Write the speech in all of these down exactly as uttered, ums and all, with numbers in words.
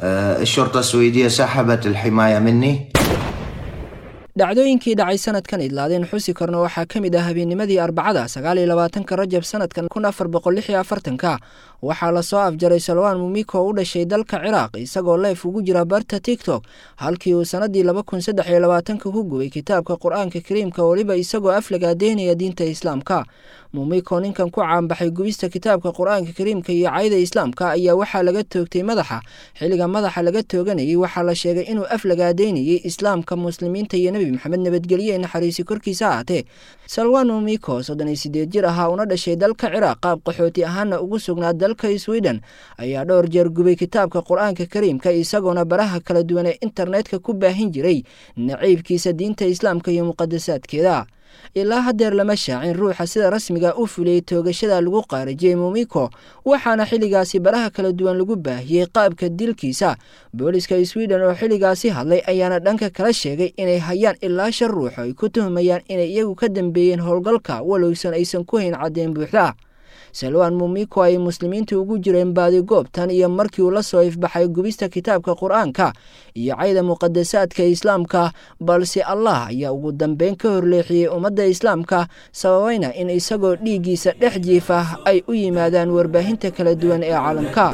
الشرطة السويدية سحبت الحماية مني. Dhacdooyinkii dhacay sanadkan idlaadeen xusi karno waxaa ka mid ah habeennimadii Arbacada sagaal iyo labaatanka Rajab sanadkan kun afar boqol lix iyo afartanka, waxaa lasoo afjaray Salwaan Mumiko oo u dhashay dalka Ciraaq, isagoo live ugu jira barta TikTok, halkii uu sanadii laba kun saddex iyo labaatanka ku gubay kitaabka Qur-aanka Kariimka, weliba isagoo aflagaadeynaya diinta Islaamka. Mumiko, ninkan ku caanbaxay gubista kitaabka Qur-aanka Kariimka iyo cayda Islaamka, ayaa waxaa laga toogtay madaxa. Xilliga madaxa laga tooganayay waxaa la sheegay inuu aflagaadeynayay Islaamka, Muslimiinta iyo Nebi Maxamed, nabadgelye naxariisi korkiisa ahaatee. Salwan Mumiko, soddon iyo sideed jir ahaa, una dhashay dalka Ciraaq, qaab qaxooti ahaana ugu sugnaa dalka Sweden, ayaa dhowr jeer gubay kitaabka Qur-aanka Kariimka, isagoona baraha kala duwan ee internetka ku baahin jiray naciibkiisa diinta Islaamka iyo muqadasaadkeeda. Ilaa haddeer lama shaacin ruuxa sida rasmiga u fuliyey toogashada lagu qaarijiyey Mumiko, waxaana xilligaasi baraha kala duwan lagu baahiyey qaabka dilkiisa. Booliska Sweden oo xilligaasi hadlay ayaana dhanka kala sheegay inay hayaan ilaa shan ruux oo ay ku tuhumayaan inay iyagu ka dambeeyeen howlgalka, walowsan aysan ku hayn caddeyn buuxda. Salwaan Mumiko ay Muslimiintu ugu jireen baadigoobtan iyo markii uu la soo ifbaxay gubista kitaabka Qur-aanka iyo cayda muqadasaadka Islaamka, balse Allah ayaa ugu dambeyn ka horleexiyey ummadda Islaamka, sababayna in isagoo dhiiggiisa dhex jiifa ay u yimaadaan warbaahinta kala duwan ee caalamka.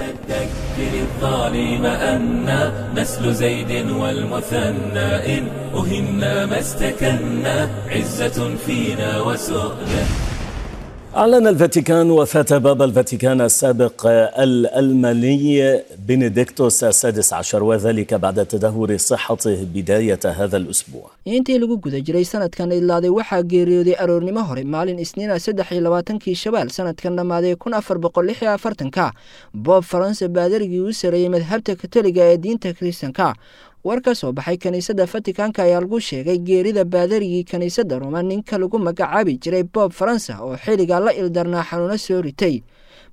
الظالم أنا نسل زيد والمثنى، إن أهنا ما استكنا، عزة فينا وسؤدد. أعلن الفاتيكان وفاة بابا الفاتيكان السابق الألماني بنديكتوس السادس عشر، وذلك بعد تدهور صحته بداية هذا الأسبوع. Intii lagu guda jiray sanadkan idlaaday waxaa geeriyooday aroornimo hore maalin Isniina saddex iyo labaatankii Shawaal sanadkan dhammaaday kun afar boqol lix iyo afartanka Pope Faransa, baadarigii u sareeyey madhabta Katoliga ee diinta Kiristanka. War ka soo baxay kiniisadda Fatikanka ayaa lagu sheegay geerida baadarigii kiniisadda Roma, ninka lagu magacaabi jiray Pope Faransa, oo xilligaa la ildarnaa xanuuno soo ritay.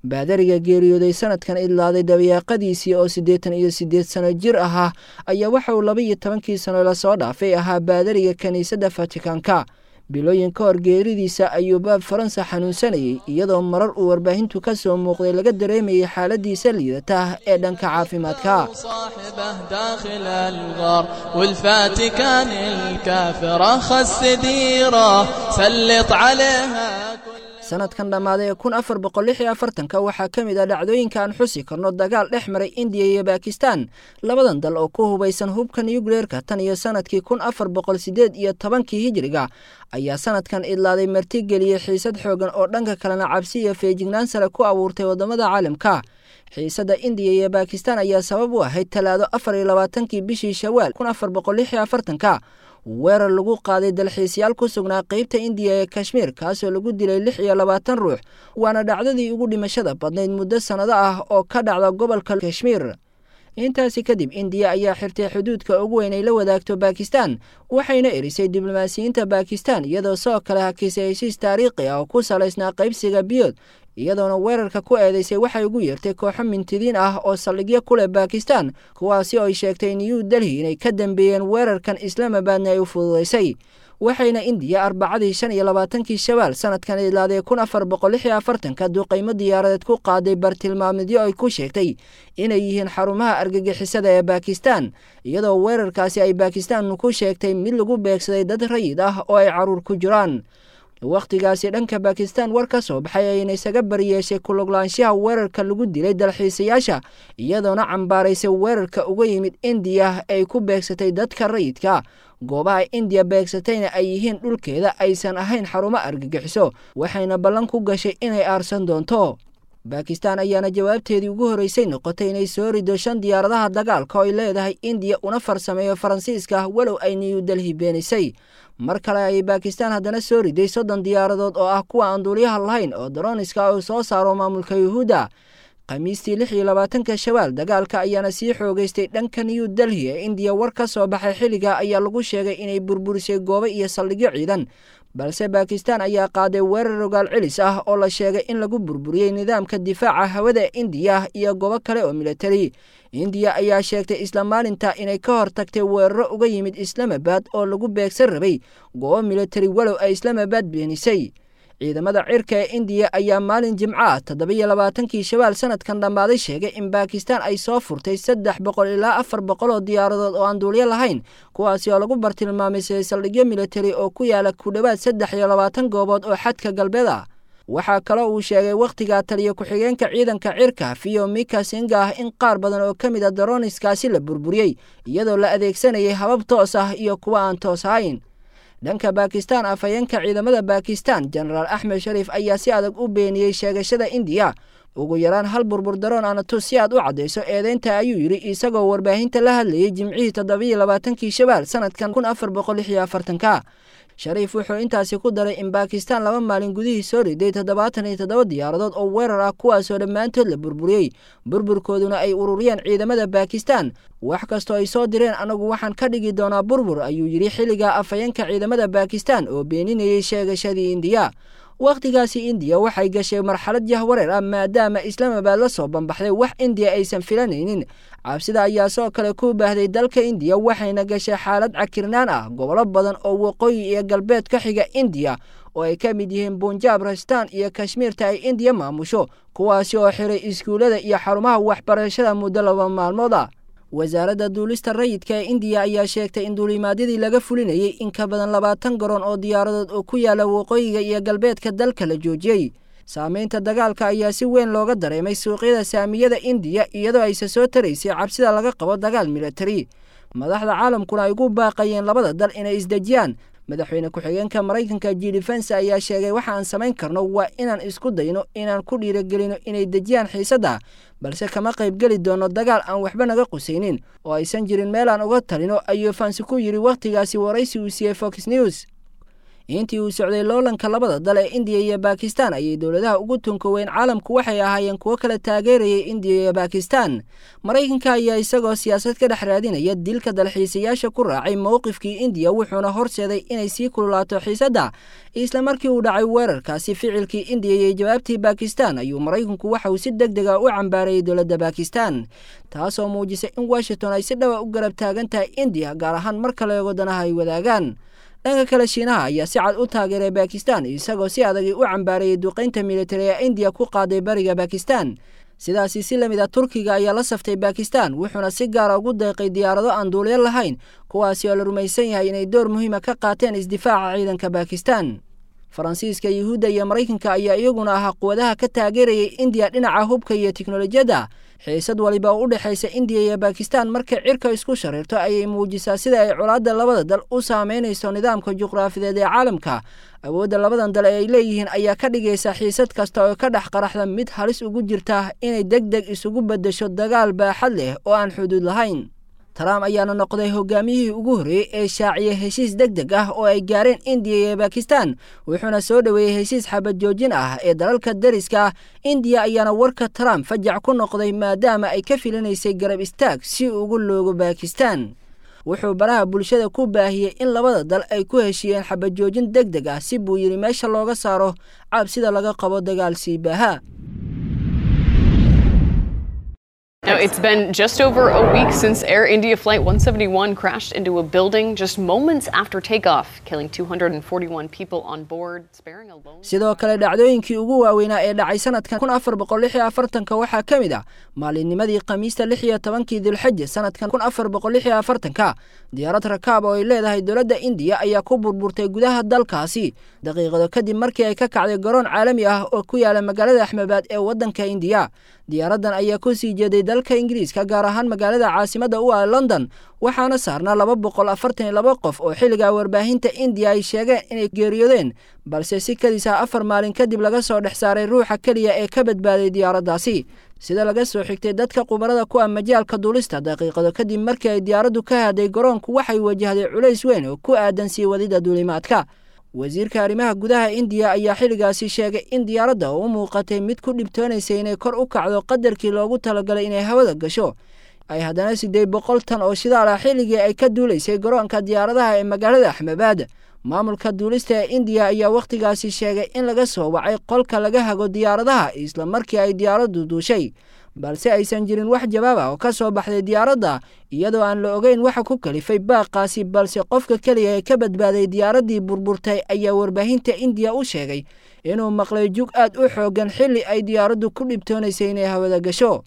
Baadariga geeriyooday sanadkan idlaaday dabayaaqadiisii oo siddeetan iyo siddeed sano jir ahaa ayaa waxa uu laba iyo tobankii sano lasoo dhaafay ahaa baadariga kiniisadda Fatikanka. Bilooyin ka hor geeridiisa ayuu Pope Faransa xanuunsanayay, iyadoo marar uu warbaahintu ka soo muuqday laga dareemayay xaaladiisa liidata ee dhanka caafimaadka. صاحبه داخل الغار، والفاتيكان الكافرة خس ديرة سلط عليها كل Sanadkan dhammaaday ee kun afar boqol lix iyo afartanka waxaa ka mid ah dhacdooyinka aan xusi karno dagaal dhex maray Indiya iyo Bakistan, labadan dal oo ku hubaysan hubka nucleerka tan iyo sanadkii kun afar boqol sideed iyo tobankii hijriga, ayaa sanadkan idlaaday martigeliyey xiisad xoogan oo dhanka kalena cabsi iyo feejignaan sare ku abuurtay waddamada caalamka. Xiisadda Indiya iyo Bakistan ayaa sabab u ahayd Talaado afar iyo labaatankii bishii Shawaal kun afar boqol lix iyo afartanka weerar lagu qaaday dalxiisyaal ku sugnaa qeybta Indiya ee Kashmiir, kaasoo lagu dilay lix iyo labaatan ruux, waana dhacdadii ugu dhimashada badnayd muddo sannado ah oo ka dhacda gobolka Kashmiir. Intaasi kadib Indiya ayaa xirtay xuduudka ugu weyn ay la wadaagto Bakistan, waxayna erisay diblomaasiyiinta Bakistan, iyadoo sidoo kale hakisay heshiis taariikhi ah oo ku salaysnaa qaybsiga biyood, iyadoona weerarka ku eedeysay waxay ugu yeertay kooxo mintidiin ah oo saldhigyo ku leh Bakistan, kuwaasi oo ay sheegtay New Delhi inay ka dambeeyeen weerarkan, Islaamabadna ay u fududaysay. Waxayna Indiya Arbacadii shan iyo labaatankii Shawaal sanadkan idlaaday kun afar boqol lix iyo afartanka duqaymo diyaaradeed ku qaaday bartilmaameedyo ay ku sheegtay inay yihiin xarumaha argagixisada ee Bakistan, iyadoo weerarkaasi ay Bakistan ku sheegtay mid lagu beegsaday dad rayid ah oo ay caruur ku jiraan. Wakhtigaasi dhanka Bakistan war ka soo baxay ayayna isaga bariyeeshay kuluglaanshaha weerarka lagu dilay dalxiisayaasha, iyadoona cambaaraysay weerarka uga yimid Indiya ay ku beegsatay dadka rayidka, goobaha Indiya beegsatayna ay yihiin dhulkeeda, aysan ahayn xarumo argagixiso, waxayna ballan ku gashay inay aarsan doonto. Bakistan ayaana jawaabteedii ugu horreysay noqotay inay soo rido shan diyaaradaha dagaalka oo ay leedahay Indiya una farsameeyo Faransiiska, walow ay New Delhi beenisay. Mar kale ayay Bakistan haddana soo riday soddon diyaaradood oo ah kuwa aan duuliyaha lahayn oo drones-ka uu soo saaro maamulka Yuhuudda Khamiistii lix iyo labaatanka Shawaal. Dagaalka ayaana sii xoogeystay dhanka New Delhi ee Indiya. War ka soo baxay xilliga ayaa lagu sheegay inay burburisay goobo iyo saldhigyo ciidan, balse Bakistan ayaa qaaday weerar rogaal celis ah oo la sheegay in lagu burburiyey nidaamka difaaca hawada Indiya iyo goobo kale oo militari. Indiya ayaa sheegtay isla maalinta inay ka hortagtay weeraro uga yimid Islamabad oo lagu beegsan rabay goobo militari, walow ay Islamabad beenisay. Ciidamada cirka ee Indiya ayaa maalin Jimco ah toddoba iyo labaatankii Shawaal sanadkan dhammaaday sheegay in Bakistan ay soo furtay saddex boqol ilaa afar boqol oo diyaaradood oo aan duuliyo lahayn, kuwaasi oo lagu bartilmaamay saldhigyo militari oo ku yaala ku dhowaad saddex iyo labaatan goobood oo xadka galbeed ah. Waxaa kaloo uu sheegay wakhtigaa taliya ku-xigeenka ciidanka cirka Vyomika Singh ah in qaar badan oo ka mid ah drones-kaasi la burburiyey, iyadoo la adeegsanayay habab toos ah iyo kuwa aan toos ahayn. Dhanka Bakistan, afhayeenka ciidamada Bakistan, Jenaraal Axmed Shariif, ayaa si adag u beeniyey sheegashada Indiya. "Ugu yaraan hal burbur drone ana tus si aad u caddayso eedeynta," ayuu yidhi isagoo warbaahinta la hadlayay Jimcihii toddobiyo labaatankii Shawaal sanadkan kun afar boqol lix iyo afartanka. Shariif wuxuu intaasi ku daray in Bakistan laba maalin gudihii soo riday toddobaatan iyo toddoba diyaaradood oo weerar ah, kuwaasoo dhammaantood la burburiyey, burburkooduna ay ururiyeen ciidamada Bakistan. "Wax kastoo ay soo direen, anagu waxaan ka dhigi doonaa burbur," ayuu yidhi xilliga afhayeenka ciidamada Bakistan oo beeninayay sheegashadii Indiya. Wakhtigaasi Indiya waxay gashay marxalad jahwareer ah, maadaama Islaamabad la soo bambaxday wax Indiya aysan filanaynin. Cabsida ayaa soo kale ku baahday dalka Indiya, waxayna gashay xaalad cakirnaan ah gobollo badan oo waqooyi iyo galbeed ka xiga Indiya, oo ay ka mid yihiin Bunjaab, Rajastaan iyo Kashmiirta ay Indiya maamusho, kuwaasi oo xiray iskuullada iyo xarumaha waxbarashada muddo laba maalmood ah. Wasaaradda duulista rayidka ee Indiya ayaa sheegtay in duulimaadyadii laga fulinayay in ka badan labaatan garoon oo diyaaradood oo ku yaala waqooyiga iyo galbeedka dalka la joojiyey. Saameynta dagaalka ayaa si weyn looga dareemay suuqyada saamiyada Indiya, iyadoo ayse soo taraysay cabsida laga qabo dagaal militari, madaxda caalamkuna ay ugu baaqayeen labada dal inay isdejiyaan. Madaxweyne ku-xigeenka Maraykanka J D Vance ayaa sheegay: "Waxa aan samayn karno waa inaan isku dayno inaan ku dhiirigelino inay dejiyaan xiisadda, balse kama qaybgeli doono dagaal aan waxba naga qusaynin oo aysan jirin meel aan uga talino," ayuu Vance ku yidhi wakhtigaasi waraysi uu siiyey Fox News. Intii uu socday loolanka labada dal ee Indiya iyo Bakistan ayay dowladaha ugu tunka weyn caalamku waxay ahaayeen kuwo kala taageerayay Indiya iyo Bakistan. Maraykanka ayaa isagoo siyaasad ka dhex raadinaya dilka dalxiisayaasha ku raacay mowqifkii Indiya, wuxuuna horseeday inay sii kululaato xiisadda. Isla markii uu dhacay weerarkaasi, ficilkii Indiya iyo jawaabtii Bakistan, ayuu Maraykanku waxa uu si deg dega u cambaarayay dowladda Bakistan, taasoo muujisay in Washington ay si dhawa u garab taagan tahay Indiya, gaar ahaan marka la eego danaha ay wadaagaan. Dhanka kale, Shiinaha ayaa si cad u taageeray Bakistan, isagoo si adagay u cambaarayay duqaynta militari ee Indiya ku qaaday bariga Bakistan. Sidaasi si lamid ah, Turkiga ayaa la saftay Bakistan, wuxuuna si gaara ugu deeqay diyaarado aan duuliyo lahayn, kuwaasi oo la rumaysan yahay inay door muhiima ka qaateen isdifaaca ciidanka Bakistan. Faransiiska, Yuhuudda iyo Maraykanka ayaa iyaguna ahaa quwadaha ka taageerayay Indiya dhinaca hubka iyo tiknolojiyadda. Xiisad waliba oo u dhexaysa Indiya iyo Bakistan markay cirka isku shareerto ayay muujisaa sida ay colaadda labada dal u saameynayso nidaamka juqraafideed ee caalamka. Awoodda labadan dal ee ay leeyihiin ayaa ka dhigaysa xiisad kasta oo ka dhex qaraxda mid halis ugu jirta inay deg deg isugu beddesho dagaal baaxad leh oo aan xuduud lahayn. Trump ayaana noqday hogaamiyihii ugu horreeyey ee shaaciyay heshiis deg deg ah oo ay gaareen Indiya iyo Bakistan, wuxuuna soo dhoweeyey heshiis xabad joojin ah ee dalalka deriska ah. Indiya ayaana warka Trump fajac ku noqday, maadaama ay ka filinaysay garab istaag si ugu loogo Bakistan. Wuxuu baraha bulshada ku baahiyey in labada dal ay ku heshiiyeen xabad joojin deg deg ah, si, buu yidhi, meesha looga saaro cabsida laga qabo dagaal sii baaha. Now, it's been just over a week since Air India Flight one seventy-one crashed into a building just moments after takeoff, killing two hundred forty-one people on board, sparing a lone. Sidoo kale, dhacdooyinkii ugu waaweynaa ee dhacay sanadkan kun afar boqol lix iyo afartanka waxaa ka mid ah maalinnimadii Khamiista lix iyo tobankii Dilxaja sanadkan kun afar boqol lix iyo afartanka, diyaarad rakaab oo ay leedahay dowladda Indiya ayaa ku burburtay gudaha dalkaasi daqiiqado kadib markii ay ka kacday garoon caalami ah oo ku yaala magaalada Axmebaad ee waddanka Indiya. Diyaaraddan ayaa ku sii jeeday dalka Ingiriiska, gaar ahaan magaalada caasimadda u ah London, waxaana saarnaa laba boqol afartan iyo laba qof oo xilligaa warbaahinta Indiya ay sheegeen inay geeriyoodeen, balse si kadis ah afar maalin kadib laga soo dhex saaray ruuxa keliya ee ka badbaaday diyaaraddaasi. Sida laga soo xigtay dadka khubarada ku ah majaalka duulista, daqiiqado kadib markii ay diyaaraddu ka haday garoonku, waxay wajahday culays weyn oo ku aadan sii wadida duulimaadka. Wasiirka arrimaha gudaha Indiya ayaa xilligaasi sheegay in diyaaradda oo u muuqatay mid ku dhibtoonaysay inay kor u kacdo qadarkii loogu talagalay inay hawada gasho, ay haddana sideed boqol tan oo shidaal ah xilligii ay ka duulaysay garoonka diyaaradaha ee magaalada Axmebaad. Maamulka duulista ee Indiya ayaa wakhtigaasi sheegay in laga soo wacay qolka laga hago diyaaradaha isla markii ay diyaaraddu duushay. Balse aysan jirin wax jawaab ah oo ka soo baxday diyaaradda, iyadoo aan la ogeyn waxa ku kalifay baaqaasi. Balse qofka keliya ee ka badbaaday diyaaraddii burburtay ayaa warbaahinta Indiya u sheegay inuu maqlay jug aad u xooggan xilli ay diyaaraddu ku dhibtoonaysay inay hawada gasho.